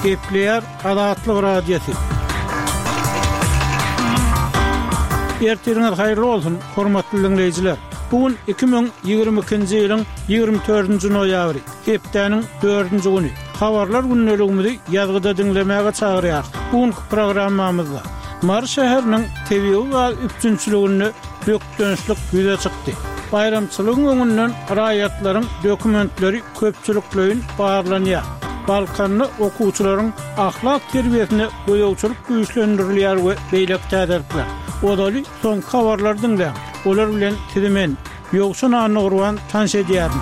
Gepleýär Azatlyk Radiosy. Ertiriňiz haýyrly bolsun, hormatly diňleýjiler! Bu gün 2022-nji ýylyň 24-nji noýabry, hepdäniň dördünji güni. Habarlar gündeligimizi ýazgyda diňlemäge çagyrýarys. Bu günki programmamyzda Mary şäheriniň tebigy gaz üpjünçiliginde bökdençlik ýüze çykdy. Baýramçylygyň öňünden raýatlaryň dokumentleri köpçülikleýin barlanýar. Balkanda okuwçylaryň ahlak terbiýesine gözegçilik güýçlendirilýär we beýleki täzelikler. Ozaly soňky habarlary diňläň. Olar bilen sizi men, Ýowşan Annagurban tanyş edýärin.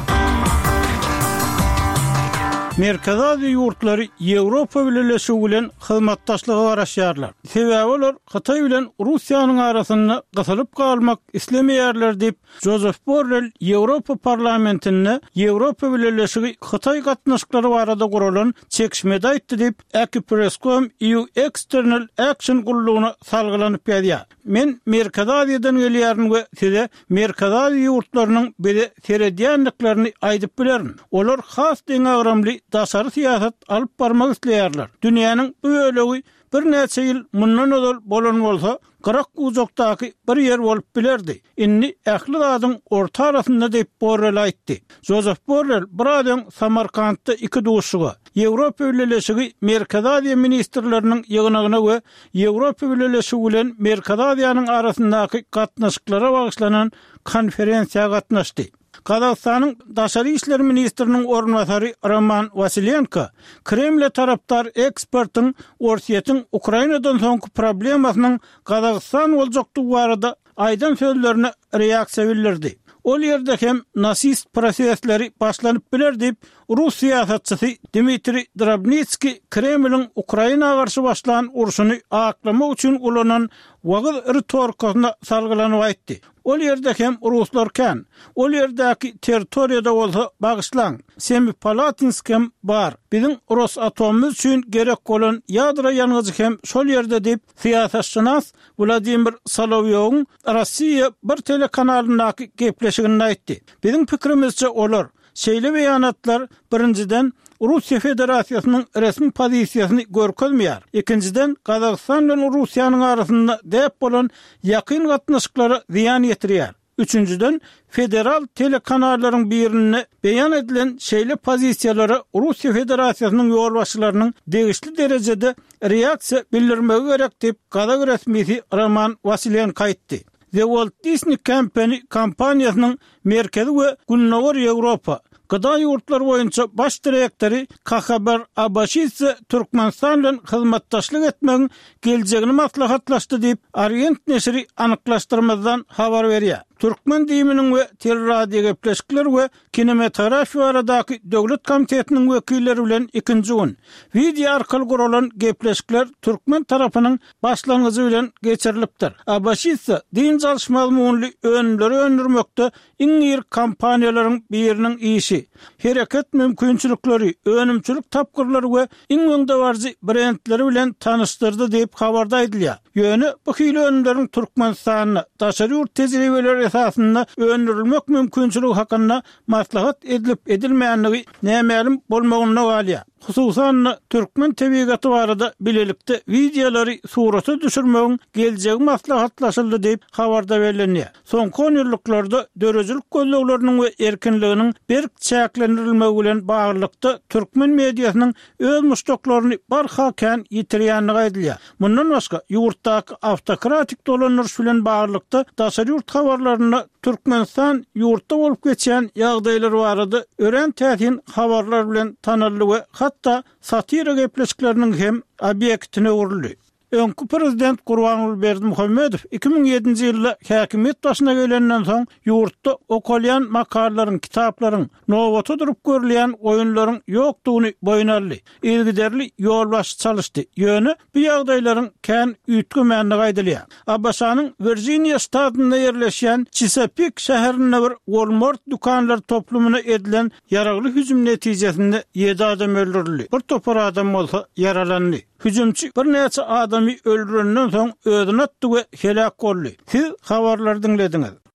Merkezi Aziýa ýurtlary Ýewropa Bileleşigi bilen hyzmatdaşlyga garaşýarlar. Sebäbi olar Hytaý bilen Russiýanyň arasynda gysylyp galmak islemeýärler diýip, Jozef Borrel Ýewropa Parlamentinde Ýewropa Bileleşigi-Hytaý gatnaşyklary barada guralan çekişmede aýtdy diýip, Akipress.com EU External Action gullugyna salgylanyp ýazýar. Men Merkezi Aziýadan gelýärin we size Merkezi Aziýa ýurtlarynyň bize seredýändiklerini aýdyp bilerin. Olar has deňagramly daşary syýasat alyp barmak isleýärler. Dünýäniň bu bölegi birnäçe ýyl mundan ozal bolan bolsa, gyrak-bujakdaky bir ýer bolup bilerdi. Indi ähli zadyň orta arasynda diýip, Borrel aýtdy. Jozef Borrel biraz öň Samarkantda iki duşuşyga, Ýewropa Bileleşigi Merkezi Aziýa ministrleriniň ýygnagyna we Ýewropa Bileleşigi bilen Merkezi Aziýanyň arasyndaky gatnaşyklara bagyşlanan konferensiýa gatnaşdy. Gazagystanyň daşary işler ministriniň orunbasary Roman Wasilenko Kremle tarapdar ekspertiň Orsýetiň Ukrainadan soňky problemasynyň Gazagystan boljakdygy barada aýdan sözlerine reaksiýa bildirdi. Ol ýerde hem nasist prosesleri başlanyp biler diýip, rus syýasatçysy Dmitriý Drobnitskiý Kremliň Ukraina garşy başlan urşuny aklamak üçin ulanan wagyz ritorikasyna salgylanyp aýtdy. Ol ýerde hem ruslar kän. Ol ýerdäki territoriýada bolsa, bagyşlaň, Semipalatinsk hem bar. Biziň Rosatomymyz üçin gerek bolan ýadro ýangyjy hem şol ýerde diýip, syýasatşynas Wladimir Solowýowyň Rossiýa bir telekanalyndaky gepleşiginde aýtdy. Biziň pikirimizçe, olar, şeýle beýanatlar, birinjiden, Russiýa Federasiýasynyň resmi pozisiýasyny görkezmeýär, ikinjiden, Gazagystan bilen Russiýanyň arasynda däp bolan ýakyn gatnaşyklara zyýan ýetirýär. Üçünjiden, federal telekanallaryň birinde beýan edilen şeýle pozisiýalara Russiýa Federasiýasynyň ýolbaşçylarynyň degişli derejede reaksiýa bildirmegi gerek diýip, gazak resmisi Roman Wasilenko aýtdy. The Walt Disney Company kompaniýasynyň Merkezi we Gündogar Ýewropa, GDA ýurtlary boýunça baş direktory Kahabar Abaşidze Türkmenistan bilen hyzmatdaşlyk etmegiň geljegini maslahatlaşdy diýip, Orient neşiri anyklaşdyrmazdan habar berýär. Türkmen DIM-niň we Teleradiogepleşikler we kinematografiýa baradaky döwlet komitetiniň wekilleri bilen ikinji gün wideo arkaly guralan gepleşikler türkmen tarapynyň başlangyjy bilen geçirilipdir. Abaşidze dynç alyş mazmunly önümleri öndürmekde Iň iri kompaniýalaryň biriniň işi, hereket mümkinçilikleri, önümçilik tapgyrlary we iň öňdebaryjy brendleri bilen tanyşdyrdy diýip, habarda aýdylýar. Ýöne bu hili önümleriň Türkmenistanda daşary ýurt tejribeleri esasynda öndürilmek mümkinçiligi hakynda maslahat edilip-edilmändigi nämälim bolmagynda galýar. Hususan-da, türkmen tebigaty barada bilelikde wideolary surata düşürmegiň geljegi maslahatlaşyldy diýip, habarda bellenýär. Soňky onýyllyklarda döredijilik gözlegleriniň we erkinliginiň berk çäklendirilmegi bilen baglylykda türkmen mediasynyň öz muşdaklaryny barha kän ýitirýändigi aýdylýar. Mundan başga, ýurtdaky awtokratik dolandyryş bilen baglylykda daşary ýurt habarlarynda Türkmenistan ýurtda bolup geçýän ýagdaýlar barada örän täsin habarlar bilen tanaldy we hatda satira gepleşikleriniň hem obýektine öwrüldi. Öňki prezident Gurbanguly Berdimuhamedow 2007-nji ýylda häkimiýet başyna gelenden soň ýurtda okalýan makalalaryň, kitaplaryň, nobata durup görülýän oýunlaryň ýokdugyny boýun aldy. Yzygiderli ýolbaşçy çalyşdy. Ýöne bu ýagdaýlaryň kän üýtgemändigi aýdylýar. ABŞ-nyň Wirjiniýa ştatynda ýerleşýän Çisapik şäherinde bir Walmart dükanlar toplumyna edilen ýaragly hüjüm netijesinde ýedi adam öldürildi, bir topar adam bolsa ýaralandy. Hüjümçi birnäçe adamy öldürenden soň özüni atdy we heläk boldy. Siz habarlary diňlediňiz.